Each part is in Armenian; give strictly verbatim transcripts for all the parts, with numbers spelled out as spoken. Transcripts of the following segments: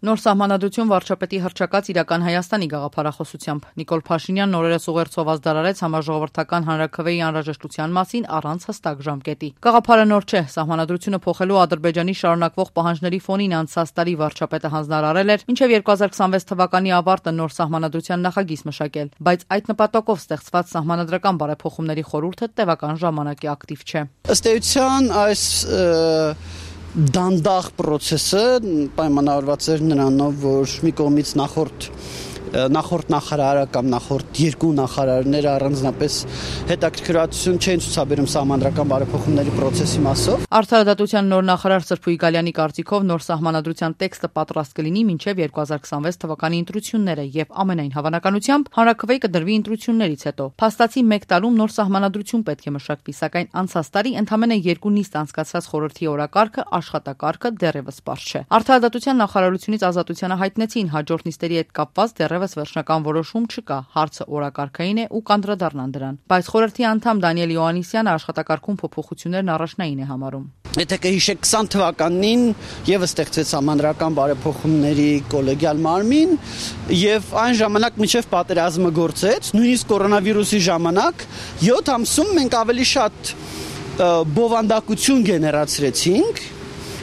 Նոր սահմանադրություն վարչապետի հռչակած իրական Հայաստանի գաղափարախոսությամբ Նիկոլ Փաշինյանն օրերս ուղերձով դարարեց համաժողովրդական հանրաքվեի անհրաժեշտության մասին առանց հստակ ժամկետի։ Գաղափարը նոր չէ, սահմանադրությունը փոխելու Ադրբեջանի շարունակվող պահանջների ֆոնին անցած տարի վարչապետը հանձնարարել էր մինչև երկու հազար քսանվեց թվականի ավարտը նոր սահմանադրության նախագիծ մշակել, բայց այդ նպատակով ստեղծված սահմանադրական բարեփոխումների խորհուրդը տևական ժամանակի ակտիվ չէ։ Ըստ էության այս դանդաղ պրոցեսը պայմանավորված էր նրանով, որ մի կողմից նախորդ նախորդ նախարարը կամ նախորդ երկու նախարարները առանձնապես հետաքրքրություն չեն ցուցաբերում սահմանադրական բարեփոխումների process-ի մասով։ Արդարադատության նոր նախարար Սրփուի Գալյանի կարծիքով նոր սահմանադրության տեքստը պատրաստ կլինի մինչև երկու հազար քսանվեց թվականի ընտրությունները եւ ամենայն հավանականությամբ հանրաքվեի կդրվի ընտրություններից հետո։ Փաստացի մեկ տարում նոր սահմանադրություն պետք է մշակվի, սակայն անցած տարի ընդամենը երկու նիստ անցկացված խորհրդի օրակարգը աշխատակարգը դեռևս པարզ չէ։ Արդարադատության նախարարությունից ազատությանը հայտնեցին հաջորդ նիստերի հետ կապված դեռևս վերջնական որոշում չկա, հարցը օրակարգային է ու կանդրադառնան դրան։ Բայց խորհրդի անդամ Դանիել Յոհաննիսյանը աշխատակարգում փոփոխություններն առաջնային է համարում։ Եթե կհիշեք քսան թվականին եւս ստեղծեց սահմանադրական բարեփոխումների կոլեգիալ մարմին եւ այն ժամանակ մինչեւ պատերազմը գործեց, նույնիսկ կորոնավիրուսի ժամանակ յոթ ամսում մենք ավելի շատ բովանդակություն գեներացրեցինք,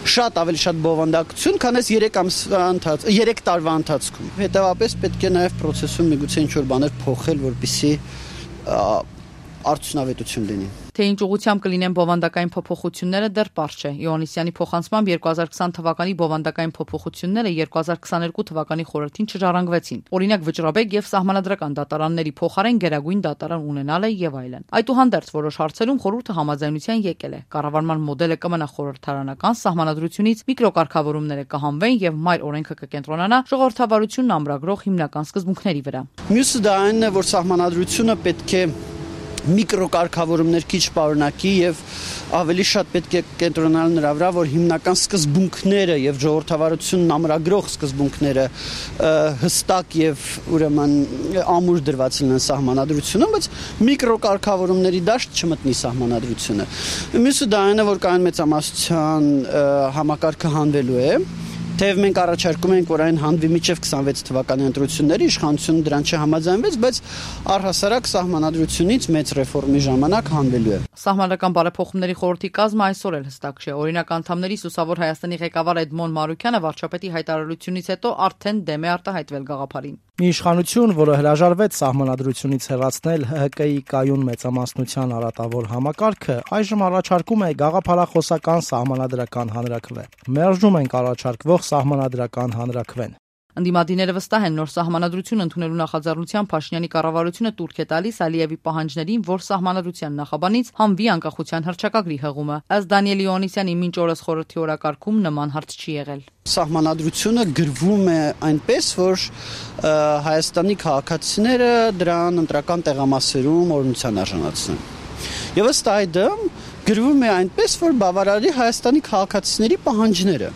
շատ ավելի շատ բովանդակություն, քան այս երեք ամսվա ընթաց, երեք տարվա ընթացքում։ Հետևաբար պետք է նաև process-ում միգուցե ինչ-որ բաներ փոխել, որպեսզի արդյունավետություն լինի։ Թե ինչ ուղղությամբ կլինեն բովանդակային փոփոխությունները դեռ པարզ չէ։ Յոհաննիսյանի փոխանցմամբ երկու հազար քսան թվականի բովանդակային փոփոխությունները երկու հազար քսաներկու թվականի խորհրդին չժառանգվեցին։ Օրինակ վճռաբեկ եւ սահմանադրական դատարանների փոխարեն գերագույն դատարան ունենալը եւ այլն։ Այդուհանդերձ որոշ հարցերում խորհուրդը համաձայնության եկել է։ Կառավարման մոդելը կմնա խորհրդարանական, սահմանադրությունից միկրոկարգավորումները կհանվեն եւ մայր օրենքը կկենտրոնանա ժողովրդավարությունն ամրագրող հիմնական սկզբունքների վրա։ Մյուսը դա այն է, որ սահմանադրությունը պետք է միկրոկարգավորումներ քիչ պարունակի եւ ավելի շատ պետք է կենտրոնանալ նրա վրա, որ հիմնական սկզբունքները եւ ժողովրդավարությունն ամրագրող սկզբունքները հստակ եւ ուրեմն ամուր դրված լինեն սահմանադրությունում, բայց միկրոկարգավորումների դաշտ չմտնի սահմանադրությունը։ Մյուսը դա այն է, որ կային մեծամասնության համակարգը հանվելու է։ Թեև մենք առաջարկում ենք, որ այն հանվի մինչև քսանվեց թվականի ընտրությունների, իշխանությունը դրան չհամաձայնվեց, բայց առհասարակ սահմանադրությունից մեծ ռեֆորմի ժամանակ հանվելու է։ Սահմանադրական բարեփոխումների խորհրդի կազմը այսօր էլ հստակ չէ։ Օրինակ անդամների Սուսավոր Հայաստանի ղեկավար Էդմոն Մարուկյանը վարչապետի հայտարարությունից հետո արդեն դեմ է արտահայտվել գաղափարին։ Մի իշխանություն, որը հրաժարվեց սահմանադրությունից հեռացնել Հ Հ Կ-ի կայուն մեծամասնության արատավոր համակարգը, այժմ առաջարկում է գաղափարախոսական սահմանադրական հանրաքվե։ Մերժում ենք առաջարկվող սահմանադրական հանրաքվեն։ Ընդդիմադիրները վստահ են նոր սահմանադրություն ընդունելու նախաձեռնությամբ Փաշինյանի կառավարությունը տուրք է տալիս Ալիևի պահանջներին, որ սահմանադրության նախաբանից հանվի անկախության հռչակագրի հղումը։ Ըստ Դանիել Յոհաննիսյանի մինչ օրս խորհրդի օրակարգում նման հարց չի եղել։ Սահմանադրությունը գրվում է այնպես, որ Հայաստանի քաղաքացիները դրան ընտրական տեղամասերում օրինության արժանացնեն։ Եվ ըստ այդմ գրվում է այնպես, որ բավարարի Հայաստանի քաղաքացիների պահանջները։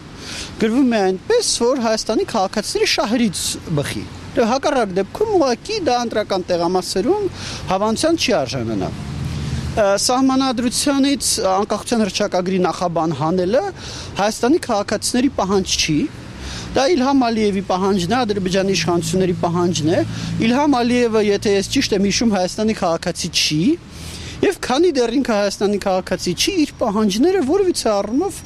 Գրվում է այնպես, որ Հայաստանի քաղաքացիների շահերից բխի։ Հակառակ դեպքում ուղղակի դա ընտրական տեղամասերում հավանության չի արժանանա։ Սահմանադրությունից անկախության հռչակագրի նախաբան հանելը Հայաստանի քաղաքացիների պահանջ չի։ Դա Իլհամ Ալիևի պահանջն է, Ադրբեջանի իշխանությունների պահանջն է։ Իլհամ Ալիևը, եթե ես ճիշտ եմ հիշում, Հայաստանի քաղաքացի չի։ Եվ քանի դեռ ինքը Հայաստանի քաղաքացի չի, իր պահանջները որևիցե առումով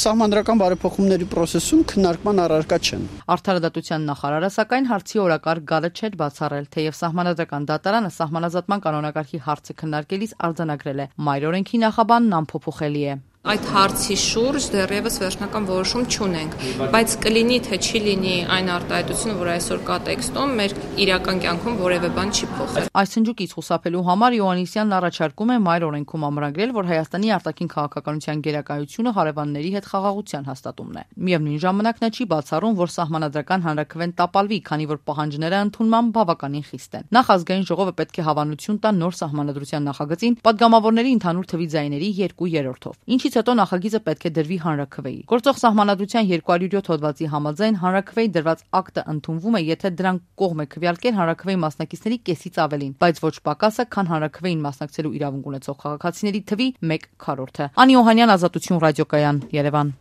սահմանադրական բարեփոխումների process-ում քննարկման առարկա չեն։ Արդարադատության նախարարը սակայն հարցի օրակարգ գալը չէր բացառել, թեև սահմանադրական դատարանը սահմանազատման կանոնակարգի հարցը քննարկելիս արձանագրել է՝ մայր օրենքի նախաբանն անփոփոխելի է։ Այդ հարցի շուրջ դեռևս վերջնական որոշում չունենք, բայց կլինի թե չի լինի այն արտահայտությունը, որ այսօր կա տեքստում, մեր իրական կյանքում որևէ բան չի փոխել։ Այս հնչյունից խուսափելու համար Յոհաննիսյանն առաջարկում է մայր օրենքում ամրագրել, որ Հայաստանի արտաքին քաղաքականության գերակայությունը հարևանների հետ խաղաղության հաստատումն է։ Միևնույն ժամանակ նա չի բացառում, որ սահմանադրական հանրաքվեն տապալվի, քանի որ պահանջները ընդունման բավականին խիստ են։ Նախ ազգային ժողովը պետք է հավանություն տա նոր սահմանադրության նախագծին падգամավորների ընդհանուր թվի ձայների երկու երրորդով։ Ինչից հետո նախագիծը պետք է դրվի հանրաքվեի։ Գործող սահմանադրության երկու հարյուր յոթ հոդվածի համաձայն հանրաքվեի դրված ակտը ընդունվում է, եթե դրան կողմ է քվեարկել հանրաքվեի մասնակիցների կեսից ավելին, բայց ոչ պակասը, քան հանրաքվեին մասնակցելու իրավունք ունեցող քաղաքացիների թվի մեկ քառորդը։ Անի Օհանյան, Ազատություն ռադիոկայան, Երևան։